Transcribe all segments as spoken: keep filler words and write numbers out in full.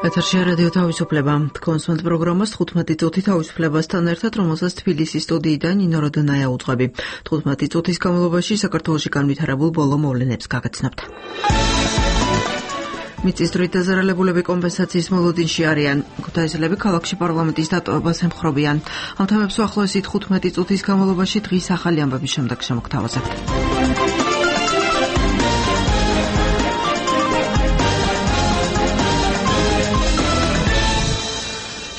ეთერში რადიო თავისუფლება. კონსულტ პროგრამას თხუთმეტი წუთი თავისუფლებასთან ერთად, რომელსაც თბილისის სტუდიიდან ნინო როდონაია უძღვები. თხუთმეტი წუთის განმავლობაში საქართველოში განვითარებულ ბოლო მოვლენებს გაგაცნობთ. მიწისძვრით დაზარალებულები კომპენსაციის მოლოდინში არიან. ქუთაისელები ქალაქში პარლამენტის დატოვებას ემხრობიან. ამ თემებს უახლოესი თხუთმეტი წუთის განმავლობაში დღის ახალი ამბების შემდეგ შემოგთავაზებთ.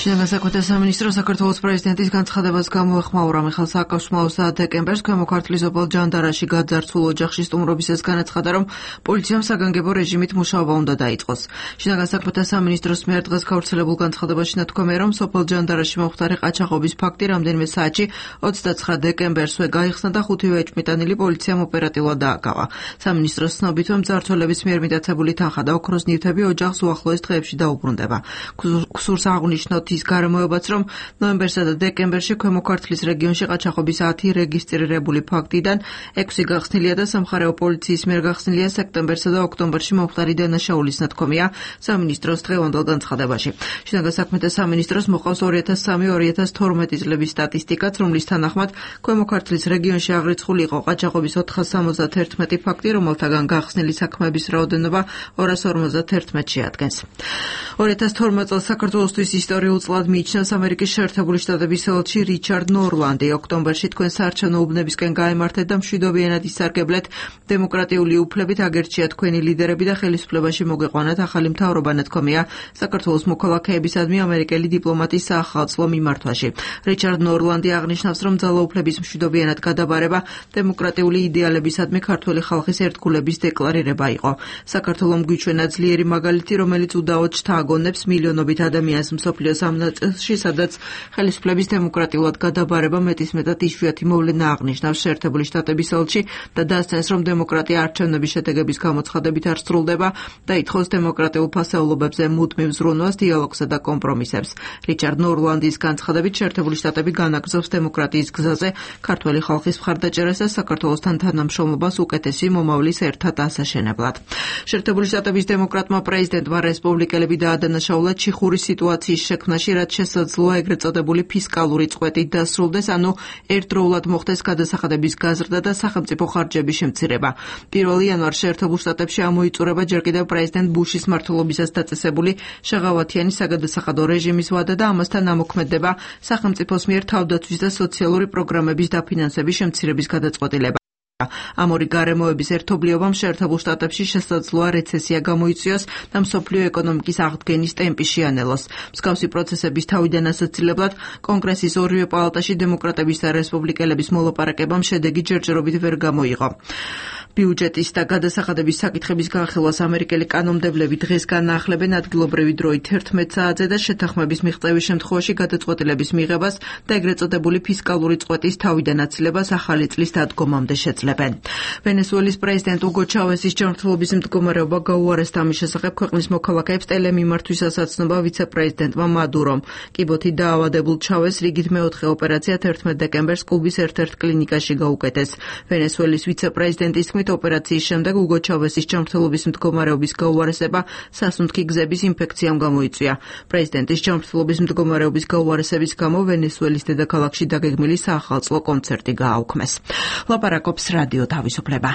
შინაგან საქმეთა სამინისტრო საქართველოს პრეზიდენტის განცხადებას გამოეხმაურა. მიხეილ სააკაშვილმა ოცდაათ დეკემბერს ქვემო ქართლის ობოლ ჯანდარაში გაძარცულ ოჯახში სტუმრობისას განაცხადა, რომ პოლიციამ საგანგებო რეჟიმით მუშაობა უნდა დაიწყოს. შინაგან საქმეთა სამინისტროს მიერ დღეს გავრცელებულ განცხადებაში ნათქვამია, რომ სოფელ ჯანდარაში მომხდარი ყაჩაღობის ფაქტი რამდენიმე საათში ოცდაცხრა დეკემბერსვე გაიხსნა და ხუთივე ეჭვმიტანილი პოლიციამ ოპერატიულად დააკავა. სამინისტროს ცნობით, მძარცველების მიერ მიტაცებული თანხა და ოქროს ნივთები ოჯახს უახლოეს დღეებში დაუბრუნდება. გსურს აღნიშნოთ ის გარემოებაც, რომ ნოემბერსა და დეკემბერში ქვემო ქართლის რეგიონში ყაჩაღობის ათი რეგისტრირებული ფაქტიდან ექვსი გახსნილია და სამხარეო პოლიციის მიერ გახსნილია სექტემბერსა და ოქტომბერში მომხდარი დანაშაულის ნათქვამია სამინისტროს დღევანდელ განცხადებაში. შინაგან საქმეთა სამინისტროს მოყავს ორი ათას სამი ორი ათას თორმეტი წლების სტატისტიკაც, რომლის თანახმად ქვემო ქართლის რეგიონში აღრიცხული იყო ყაჩაღობის ოთხას სამოცდათ ერთმეტი ფაქტი, რომელთაგან გახსნილი საქმეების რაოდენობა ორას ორმოცდათ ერთმეტს შეადგენს. ორი ათას თორმეტ წელს საქართველოსთვის ისტორიულ წლად მიიჩნევს ამერიკის შეერთებული შტატების ელჩი რიჩარდ ნორლანდი. ოქტომბერში თქვენ საარჩევნო უბნებისკენ გაემართეთ და მშვიდობიანად ისარგებლეთ დემოკრატიული უფლებით, აგერჩია თქვენი ლიდერები და ხელისუფლებაში მოგეყვანათ ახალი მთავრობა, ნათქვამია საქართველოს მოქალაქეებისადმი ამერიკელი დიპლომატის საახალწლო მიმართვაში. რიჩარდ ნორლანდი აღნიშნავს, რომ ძალაუფლების მშვიდობიანად გადაბარება დემოკრატიული იდეალებისადმი ქართველი ხალხის ერთგულების დეკლარირება იყო. საქართველომ გვიჩვენა ძლიერი მაგალითი, რომელიც უდაოდ შთააგონებს მილიონობით ადამიანს მსოფლიოს ამ ნაწილში, სადაც ხელისუფლების დემოკრატიულად გადაბარება მეტისმეტად იშვიათი მოვლენა აღნიშნავს შეერთებული შტატების ელჩი და დასცენს, რომ დემოკრატია არჩევნების შედეგების გამოცხადებით არ სრულდება და ითხოვს დემოკრატიულ ფასეულობებზე მუდმივ ზრუნვას, დიალოგსა და კომპრომისებს. რიჩარდ ნორლანდის განცხადებით შეერთებული შტატები განაგრძობს დემოკრატიის გზაზე ქართველი ხალხის მხარდაჭერას და საქართველოსთან თანამშრომლობას უკეთესი მომავლის ერთად ასაშენებლად. შეერთებული შტატების დემოკრატმა პრეზიდენტმა რესპუბლიკელები დაადანაშაულა ჩიხურის სიტუაციის შექმნაში, რაც შესაძლოა ეგრეთ წოდებული ფისკალური წყვეტით დასრულდეს, ანუ ერთდროულად მოხდეს გადასახადების გაზრდა და სახელმწიფო ხარჯების შემცირება. პირველი იანვარს შეერთებულ შტატებში ამოიწურება ჯერ კიდევ პრეზიდენტ ბუშის მმართველობისას დაწესებული შეღავათიანი საგადასახადო რეჟიმის ვადა და ამასთან ამოქმედდება სახელმწიფოს მიერ თავდაცვის და სოციალური პროგრამების დაფინანსების შემცირების გადაწყვეტილება. ამ ორი გარემოების ერთობლიობამ შეერთებულ შტატებში შესაძლოა რეცესია გამოიწვიოს და მსოფლიო ეკონომიკის აღდგენის ტემპი შეანელოს. მსგავსი პროცესების თავიდან ასაცილებლად კონგრესის ორივე პალატაში დემოკრატების და რესპუბლიკელების მოლაპარაკებამ შედეგი ჯერჯერობით ვერ გამოიღო. ბიუჯეტის და გადასახადების საკითხების განხილვას ამერიკელი კანონმდებლები დღეს განაახლებენ ადგილობრივი დროით ერთმეტ საათზე და შეთანხმების მიღწევის შემთხვევაში გადაწყვეტილების მიღებას და ეგრეთ წოდებული ფისკალური წყვეტის თავიდან აცილებას ახალი წლის დადგომამდე შეძლებენ. ვენესუელის პრეზიდენტ უგო ჩავესის ჯანმრთელობის მდგომარეობა გაუარესდა. ამის შესახებ ქვეყნის მოქალაქეებს ტელემიმართვისას აცნობა ვიცე-პრეზიდენტმა მადურომ. კიბოთი დაავადებულ ჩავეს რიგით მეოთხე ოპერაცია თერთმეტ დეკემბერს კუბის ერთ-ერთ კლინიკაში გაუკეთეს. ვენესუელის ვიცე-პრეზიდენტის თქმით, ოპერაციის შემდეგ უგო ჩავესის ჯანმრთელობის მდგომარეობის გაუარესება სასუნთქი გზების ინფექციამ გამოიწვია. პრეზიდენტის ჯანმრთელობის მდგომარეობის გაუარესების გამო ვენესუელის დედაქალაქში დაგეგმილი საახალწლო კონცერტი გააუქმეს. ლაპარაკობს რადიო თავისუფლება.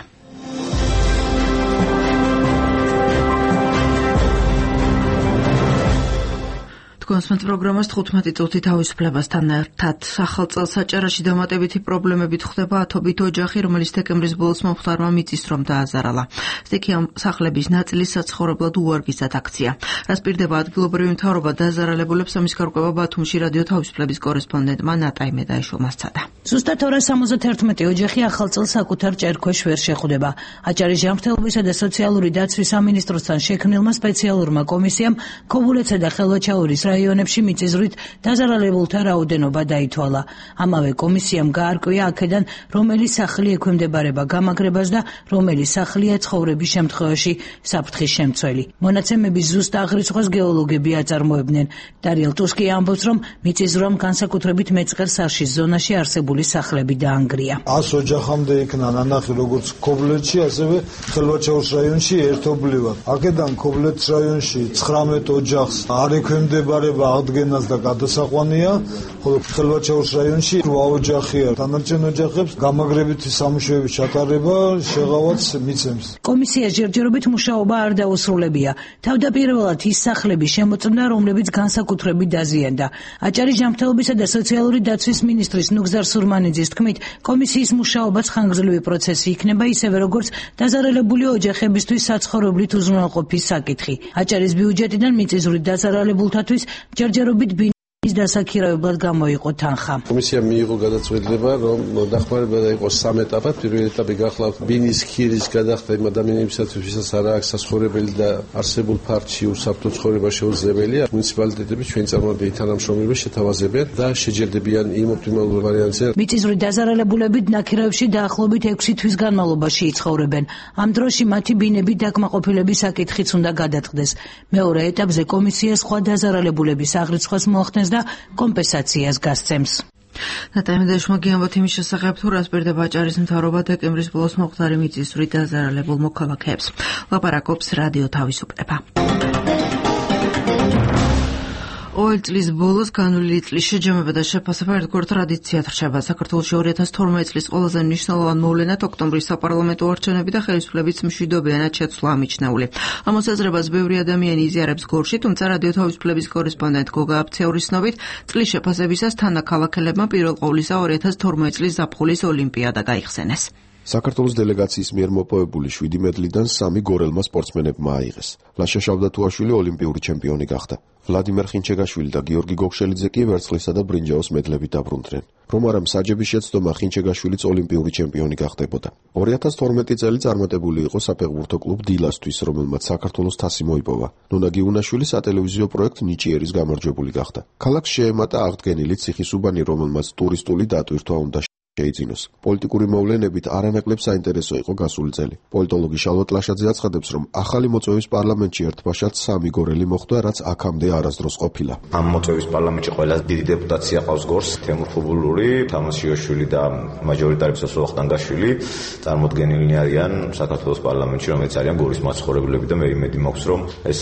კონსულტ პროგრამას თხუთმეტი წუთი თავისუფლებასთან ერთად. ახალ წელს საჭარაში დამატებითი პრობლემებით ხდება ათობით ოჯახი, რომელიც დეკემბრის ბოლოს მომხდარმა მიწისძვრამ დააზარალა. სტიქია სახლების ნაწილი საცხოვრებლად უვარგისად აქცია. რას პირდება ადგილობრივი მთავრობა დაზარალებულებს, ამის გარკვევა ბათუმში რადიო თავისუფლების კორესპონდენტმა ნატაი მედაიშვილმა სცადა. ზუსტად ორას სამოცდათ ერთმეტი ოჯახი ახალ წელს საკუთარ ჭერქვეშ ვერ შეხვდება. აჭარის ჯანმრთელობისა და სოციალური დაცვის სამინისტროსთან შექმნილმა სპეციალურმა კომისიამ ქობულეთსა და ხელვაჩაურის რაიონებში მიწისძვრით დაზარალებულთა რაოდენობა დაითვალა. ამავე კომისიამ გაარკვია აქედან რომელი სახლი ექვემდებარება გამაგრებას და რომელი სახლია ცხოვრების შემთხვევაში საფრთხის შემცველი. მონაცემების ზუსტ აღრიცხვას გეოლოგები აწარმოებდნენ. დარიელ ტუსკი ამბობს, რომ მიწისძვრამ განსაკუთრებით მეწყერ საშის ზონაში არსებული სახლები დაანგრია. ას ოჯახამდე იქნა ნანახი როგორც ქობლეთში, ასევე ხელვაჩაურის რაიონში ერთობლივად. აქედან ქობლეთის რაიონში ცხრამეტ ოჯახს არ ექვემდებარება აღდგენას და გადასაყვანია, ხოლო ხელვაჩაურის რაიონში რვა ოჯახია. დანარჩენ ოჯახებს გამაგრებითი სამუშაოების ჩატარება შეღავაც მიცემს. კომისიას ჯერჯერობით მუშაობა არ დაუსრულებია. თავდაპირველად ის სახლები შემოწმდა, რომლებიც განსაკუთრებით დაზიანდა. აჭარის ჯანმრთელობისა და სოციალური დაცვის მინისტრის ნუგზარ სურმანიძის თქმით, კომისიის მუშაობაც ხანგრძლივი პროცესი იქნება, ისევე როგორც დაზარალებული ოჯახებისთვის საცხოვრებლით უზრუნველყოფის საკითხი. აჭარის ბიუჯეტიდან მიწისძვრით დაზარალებულთათვის ჯერჯერობით ის დასაქირავებლად გამოიყო თანხა. კომისიამ მიიღო გადაწყვეტილება, რომ დახმარება დაიყოს სამ ეტაპად. პირველი ეტაპი გახლავთ ბინის ხირის გადახდა იმ ადამიანებისათვის, ვისაც არ აქვს საცხოვრებელი და არსებულ ფარჩი უსაფრთხო ცხოვრება შეუძლებელია. მუნიციპალიტეტები ჩვენ წარმომადგენელი თანამშრომლები შეთავაზებენ და შეჯერდებიან იმ ოპტიმალურ ვარიანტზე. მიწისძვრით დაზარალებულები ნაქირავებში დაახლოებით ექვსი თვის განმავლობაში იცხოვრებენ. ამ დროში მათი ბინები დაკმაყოფილების საკითხიც უნდა გადაწყდეს. მეორე ეტაპზე კომისია სხვა დაზარალებულების აღრიცხვას მოახდენს და კომპენსაციას გასცემს. ნატაიმედაშმა გიამბოთ იმის შესახებ, თუ რას პირდება აჭარის მთავრობა დეკემბრის ბოლოს მომხდარი მიწისძვრით დაზარალებულ მოქალაქეებს. ლაპარაკობს რადიო თავისუფლება. ორი წლის ბოლოს განვლილი წლის შეჯამება და შეფასება ერთგვარ ტრადიციად რჩება. საქართველოში ორი ათას თორმეტი წლის ყველაზე მნიშვნელოვან მოვლენად ოქტომბრის საპარლამენტო არჩევნები და ხელისუფლების მშვიდობიანად შეცვლა ამიჩნეული. ამ მოსაზრებას ბევრი ადამიანი იზიარებს გორში, თუმცა რადიო თავისუფლების კორესპონდენტ გოგა აფცეურის ცნობით, წლის შეფასებისას თანაქალაქელებმა პირველ ყოვლისა ორი ათას თორმეტი წლის ზაფხულის ოლიმპიადა გაიხსენეს. საქართველოს დელეგაციის მიერ მოპოვებული შვიდი მედლიდან სამი გორელმა სპორტსმენებმა აიღეს. ლაშა შავდათუაშვილი ოლიმპიური ჩემპიონი გახდა. ვლადიმერ ხინჩეგაშვილი და გიორგი გოგშელიძე კი ვერცხლისა და ბრინჯაოს მედლებით დაბრუნდნენ. რომ არა მსაჯების შეცდომა ხინჩეგაშვილიც ოლიმპიური ჩემპიონი გახდებოდა. ორი ათას თორმეტი წელი წარმატებული იყო საფეხბურთო კლუბ დილასთვის, რომელმაც საქართველოს თასი მოიპოვა. ნონა გიუნაშვილი სატელევიზიო პროექტ ნიჭიერის გამარჯვებული გახდა. ქალაქს შეემატა აღდგენილი ციხისუბანი, რომელმაც ტურისტული დატვირთვა უნდა შეიძინოს. პოლიტიკური მოვლენებით არანაკლებ საინტერესო იყო გასული წელი. პოლიტოლოგი შალვა ლაშაძე აცხადებს, რომ ახალი მოწვევის პარლამენტში ერთბაშად სამი გორელი მოხვდა, რაც აქამდე არასდროს ყოფილა. ამ მოწვევის პარლამენტში ყველაზე დიდი დეპუტაცია ყავს გორს თემურ ხუბულური, თამაზ შიოშვილი და მაჟორიტარი მსოფლო ხტანგაშვილი წარმოდგენილნი არიან საქართველოს პარლამენტში, რომელიც არიან გორის მაცხოვრებლები და მე იმედი მაქვს, რომ ეს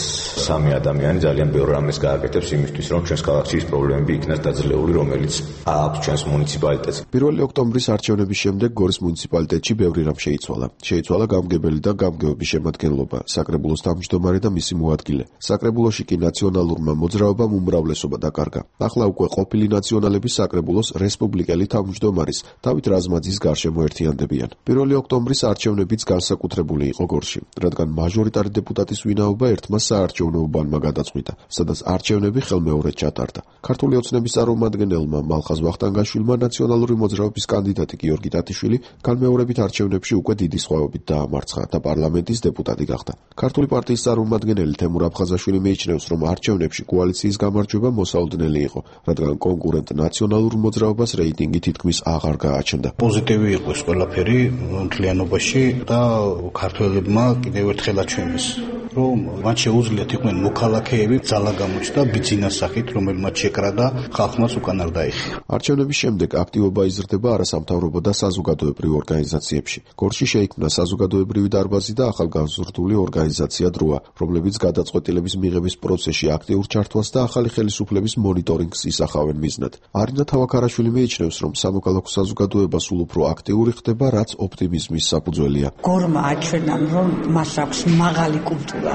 სამი ადამიანი ძალიან ბევრ რამეს გააკეთებს იმისთვის, რომ ჩვენს ქალაქში ის პრობლემები იქნას დაძლეული, რომელიც აქვს ჩვენს მუნიციპალიტეტს. პირველი ოქტომბრის არჩევნების შემდეგ გორის მუნიციპალიტეტში ბევრი რამ შეიცვალა. შეიცვალა გამგებელი და გამგეობის შემადგენლობა, საკრებულოს თავმჯდომარე და მისი მოადგილე. საკრებულოში კი ნაციონალურმა მოძრაობამ უმრავლესობა დაკარგა. ახლა უკვე ყოფილი ნაციონალების საკრებულოს რესპუბლიკელი თავმჯდომარის დავით რაზმაძის გარშემო ერთიანდებიან. პირველი ოქტომბრის არჩევნებიც განსაკუთრებული იყო გორში, რადგან მაჟორიტარი დეპუტატის ვინაობა ერთმა საარჩევნო უბანმა გადაწყვიტა, სადაც არჩევნები ხელმეორედ ჩატარდა. ქართული ოცნების წარმომადგენელმა მალხაზ ვახტანგაშვილმა ნაციონალური მოძრაობის კანდიდატი გიორგი ტატიშვილი განმეორებით არჩევნებში უკვე დიდი სხვაობით დაამარცხა და პარლამენტის დეპუტატი გახდა. ქართული პარტიის წარმომადგენელი თემურ აფხაზაშვილი მიიჩნევს, რომ არჩევნებში კოალიციის გამარჯვება მოსაოდნელი იყო, რადგან კონკურენტ ნაციონალურ მოძრაობას რეიტინგი თითქმის აღარ გააჩნდა. პოზიტივი იყო ეს ყველაფერი მთლიანობაში და ქართველებმა კიდევ ერთხელ აჩვენეს, რომ მათ შეუძლიათ იყვნენ მოქალაქეები, ძალა გამოჩნდა ბიძინას სახით, რომელმაც შეკრა და ხალხმაც უკან არ დაიხია. არჩევნების შემდეგ აქტივობა იზრდება არასამთავრობო და საზოგადოებრივ ორგანიზაციებში. გორში შეიქმნა საზოგადოებრივი დარბაზი და ახალგაზრდული ორგანიზაცია დროა, რომლებიც გადაწყვეტილების მიღების პროცესში აქტიურ ჩართვას და ახალი ხელისუფლების მონიტორინგს ისახავენ მიზნად. არინა თავაქარაშვილი მიიჩნევს, რომ სამოქალაქო საზოგადოება სულ უფრო აქტიური ხდება, რაც ოპტიმიზმის საფუძველია. გორმა აჩვენა, რომ მას აქვს მაღალი კულტურა,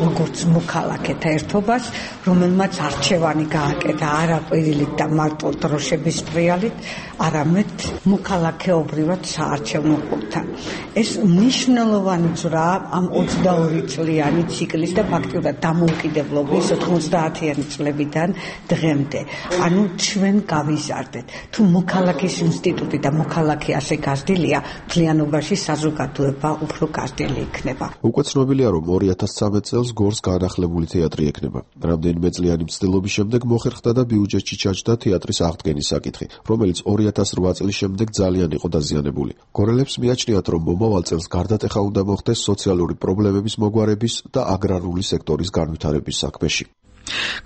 როგორც მოქალაქეთა ერთობას, რომელმაც არჩევანი გააკეთა არა ყვირილით და მარტო დროშების პრიალით, არამედ მოქალაქეობრივად საარჩევნო ყურთან. ეს მნიშვნელოვანი ძრა ამ ოცდაორი წლიანი ციკლის და ფაქტიურად დამოუკიდებლობის ოთხმოცდაათიანი წლებიდან დღემდე. ანუ ჩვენ გავიზარდეთ. თუ მოქალაქის ინსტიტუტი და მოქალაქე ასე გაზრდილია, მთლიანობაში საზოგადოება უფრო გაზრდილი იქნება. უკვე ცნობილია, რომ ორი ათას ოცდამეტ წელს გორს განახლებული თეატრი ექნება. რამდენიმე წლიანი მცდელობის შემდეგ მოხერხდა და ბიუჯეტში ჩაჯდა თეატრის აღდგენის საკითხი, რომელიც ორი ათას რვა წლის შემდეგ ძალიან იყო დაზიანებული. გორელებს მიაჩნიათ, რომ მომავალ წელს გარდატეხა უნდა მოხდეს სოციალური პრობლემების მოგვარების და აგრარული სექტორის განვითარების საქმეში.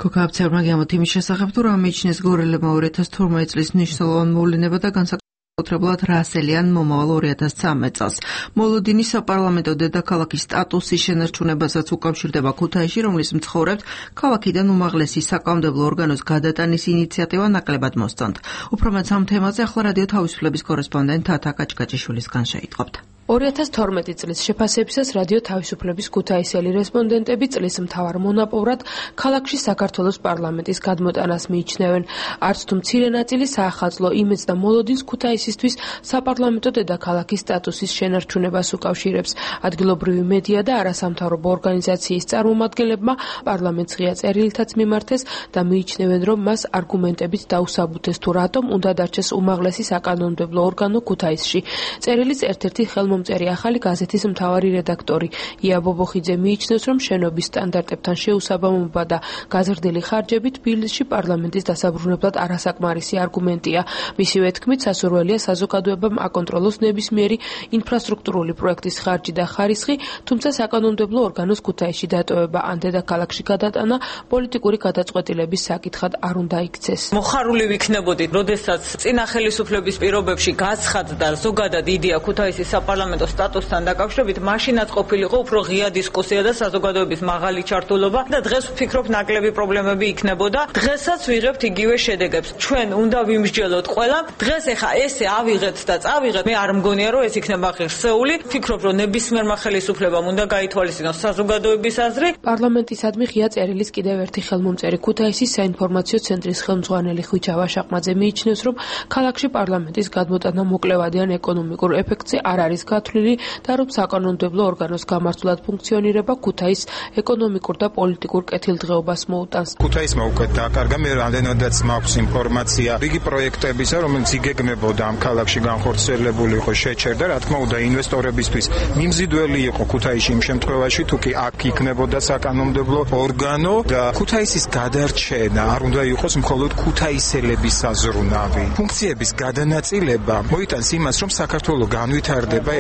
ქოქაბცერმა გემოთ იმის შესახებ, თუ რა მიიჩნევს გორელებმა ორი ათას თორმეტ წლის მნიშვნელოვანი მოვლინება და განსაკუთრებულად რასელიან მომავალ ორი ათას ცხრამეტ წელს. მოლოდინის საპარლამენტო დედაქალაქის სტატუსის შენარჩუნებასაც უკავშირდება ქუთაისში, რომლის მცხოვრებთ ქალაქიდან უმაღლესი საკანონმდებლო ორგანოს გადატანის ინიციატივა ნაკლებად მოსწონთ. უფრო მეტ ამ თემაზე ახლა რადიო თავისუფლების კორესპონდენტ თათა კაჭკაჭიშვილისგან შეიტყობთ. ორი ათას თორმეტი წლის შეფასებისას რადიო თავისუფლების ქუთაისელი რესპონდენტები წლის მთავარ მონაპოვრად ქალაქში საქართველოს პარლამენტის გადმოტანას მიიჩნევენ. არც თუ მცირე ნაწილი საახალწლო იმედს და მოლოდინს ქუთაისისთვის საპარლამენტო დედაქალაქის სტატუსის შენარჩუნებას უკავშირებს. ადგილობრივი მედია და არასამთავრობო ორგანიზაციის წარმომადგენლებმა პარლამენტს ღია წერილითაც მიმართეს და მიიჩნევენ, რომ მას არგუმენტებით დაუსაბუთეს თუ რატომ უნდა დარჩეს უმაღლესი საკანონმდებლო ორგანო ქუთაისში. წერილის ერთ-ერთი ხელმომწერი ახალი გაზეთის მთავარი რედაქტორი ია ბობოხიძე მიიჩნევს, რომ შენობის სტანდარტებთან შეუსაბამობა და გაზრდილი ხარჯები თბილისში პარლამენტის დასაბრუნებლად არასაკმარისი არგუმენტია. მისივე თქმით, სასურველია საზოგადოებამ აკონტროლოს ნებისმიერი ინფრასტრუქტურული პროექტის ხარჯი და ხარისხი, თუმცა საკანონმდებლო ორგანოს ქუთაისში დატოვება ან დედაქალაქში გადატანა პოლიტიკური გადაწყვეტილების საკითხად არ უნდა იქცეს. მოხარული ვიქნებოდით, როდესაც წინა ხელისუფლების პირობებში გაცხადდა ზოგადად იდეა ქუთაისის საპარლამენტო სტატუსთან დაკავშირებით, მაშინაც ყოფილიყო უფრო ღია დისკუსია და საზოგადოების მაღალი ჩართულობა და დღეს ვფიქრობ ნაკლები პრობლემები იქნებოდა. დღესაც ვიღებთ იგივე შედეგებს. ჩვენ უნდა ვიმსჯელოთ ყველა. დღეს ეხა ესე ავიღეთ და წავიღეთ. მე არ მგონია, რომ ეს იქნება ღირსეული. ვფიქრობ, რომ ნებისმიერმა ხელისუფლებამ უნდა გაითვალისწინოს საზოგადოების აზრი. პარლამენტისადმი ღია წერილის კიდევ ერთი ხელმომწერი ქუთაისის საინფორმაციო ცენტრის ხელმძღვანელი ხვიჩა ვაშაყმაძე მიიჩნევს, რომ ქალაქში პარლამენტის გადმოტანა მოკლევადი ან ეკონომიკურ ეფექტზე არ არის გათვლილი და რომ საკანონმდებლო ორგანოს გამართულად ფუნქციონირება ქუთაის ეკონომიკურ და პოლიტიკურ კეთილდღეობას მოუტანს. ქუთაისმა უკვე დაკარგა, მე რამდენადაც მაქვს ინფორმაცია, რიგი პროექტებისა, რომელიც იგეგმებოდა ამ ქალაქში განხორციელებული იყო, შეჩერდა, რა თქმა უნდა, ინვესტორებისთვის მიმზიდველი იყო ქუთაისში იმ შემთხვევაში, თუ კი აქ იქნებოდა საკანონმდებლო ორგანო და ქუთაისის გადარჩენა არ უნდა იყოს მხოლოდ ქუთაისელების საზრუნავი. ფუნქციების გადანაწილება მოიტანს იმას, რომ საქართველო განვითარდება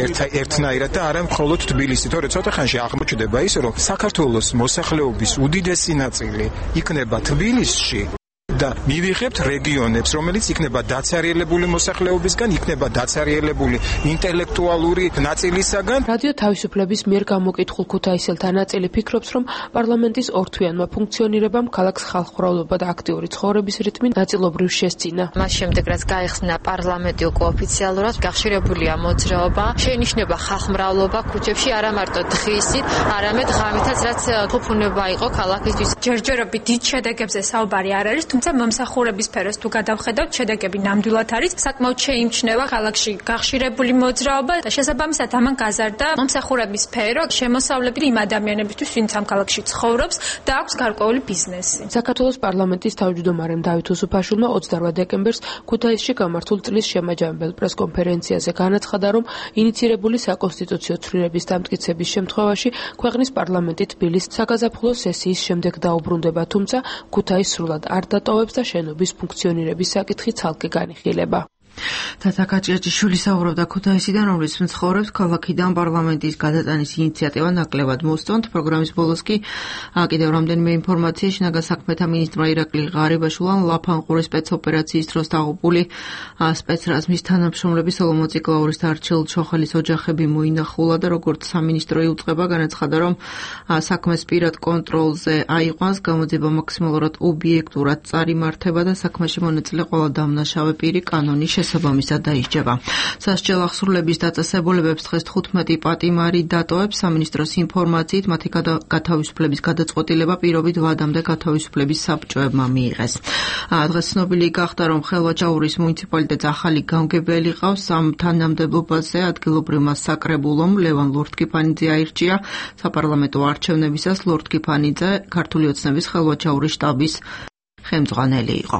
ერთნაირად და არა მხოლოდ თბილისი. თორე ცოტა ხანში აღმოჩნდება ის, რომ საქართველოს მოსახლეობის უდიდესი ნაწილი იქნება თბილისში და მივიღებთ რეგიონებს, რომელიც იქნება დაცარიელებული მოსახლეობისგან, იქნება დაცარიელებული ინტელექტუალური ნაწილისაგან. რადიო თავისუფლების მიერ გამოკითხულ ქუთაისელთა ნაწილი ფიქრობს, რომ პარლამენტის ორთვიანმა ფუნქციონირებამ ქალაქს ხალხმრავლობა და აქტიური ცხოვრების რიტმი ნაწილობრივ შესწინა. მას შემდეგ, რაც გაიხსნა პარლამენტი უკვე ოფიციალურად, გახშირებულია მოძრაობა, შეინიშნება ხალხმრავლობა ქუჩებში, არა მარტო დღისით, არამედ ღამითაც, რაც თუფუნება იყო ქალაქისთვის. ჯერჯერობით დიდ შედეგებზე საუბარი არ არის, თუმცა მომსახურების სფეროს თუ გადავხედავთ, შედეგები ნამდვილად არის. საკმაოდ შეიმჩნევა ქალაქში გახშირებული მოძრაობა და შესაბამისად ამან გაზარდა მომსახურების სფერო, შემოსავლები იმ ადამიანებისთვის, ვინც ამ ქალაქში ცხოვრობს და აქვს გარკვეული ბიზნესი. საქართველოს პარლამენტის თავმჯდომარემ დავით უსუფაშვილმა ოცდარვა დეკემბერს ქუთაისში გამართულ წლის შემაჯამებელ პრესკონფერენციაზე განაცხადა, რომ ინიცირებული საკონსტიტუციო ცვლილების დამტკიცების შემთხვევაში ქვეყნის პარლამენტი თბილისს საგაზაფხულო სესიის შემდეგ დაუბრუნდება, თუმცა ქუთაის სრულად არ დატოვებს და შენობის ფუნქციონირების საკითხი ცალკე განიხილება. თათა კაჭკაჭიშვილი საუბრობდა ქუთაისიდან, რომლის მცხოვრებს ქალაქიდან პარლამენტის გადატანის ინიციატივა ნაკლებად მოსწონთ. პროგრამის ბოლოს კი კიდევ რამდენიმე ინფორმაცია. შინაგან საქმეთა მინისტრმა ირაკლი ღარიბაშვილმა ლაფანყურის სპეცოპერაციის დროს დაღუპული სპეცრაზმის თანამშრომლები სოლომონ ციკლაურის და არჩილ ჩოხელის ოჯახები მოინახულა და როგორც სამინისტრო იუწყება, განაცხადა, რომ საქმეს პირად კონტროლზე აიყვანს, გამოძიება მაქსიმალურად ობიექტურად წარიმართება და საქმეში მონაწილე ყველა დამნაშავე პირი კანონის შესაბამისად დაისჯება. სასჯელ აღსრულების დაწესებულებებს დღეს თხუთმეტი პატიმარი დატოვებს. სამინისტროს ინფორმაციით მათი გათავისუფლების გადაწყვეტილება პირობით ვადამდე გათავისუფლების საბჭოებმა მიიღეს. დღეს ცნობილი გახდა, რომ ხელვაჭაურის მუნიციპალიტეტს ახალი გამგებელი ყავს. ამ თანამდებობაზე ადგილობრივმა საკრებულომ ლევან ლორთქიფანიძე აირჩია. საპარლამენტო არჩევნებისას ლორთქიფანიძე ქართული ოცნების ხელვაჭაურის შტაბის ხელმძღვანელი იყო.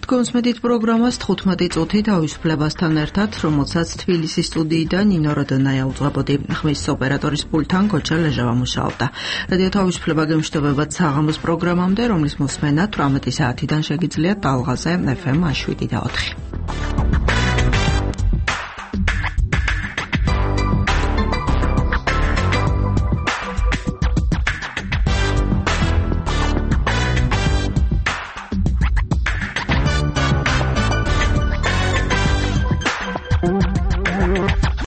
თქვენს მედით პროგრამას თხუთმეტი წუთი თავისუფლებასთან ერთად, რომელსაც თბილისის სტუდიიდან ნინო როდონაია უძღვებოდი. ხმის ოპერატორის პულტთან გოჩა ლეჟავა მუშაობდა. რადიო თავისუფლება გემშვიდობებად საღამოს პროგრამამდე, რომლის მოსმენა თვრამეტი საათიდან შეგიძლიათ ტალღაზე ეფ ემ შვიდ და ოთხი.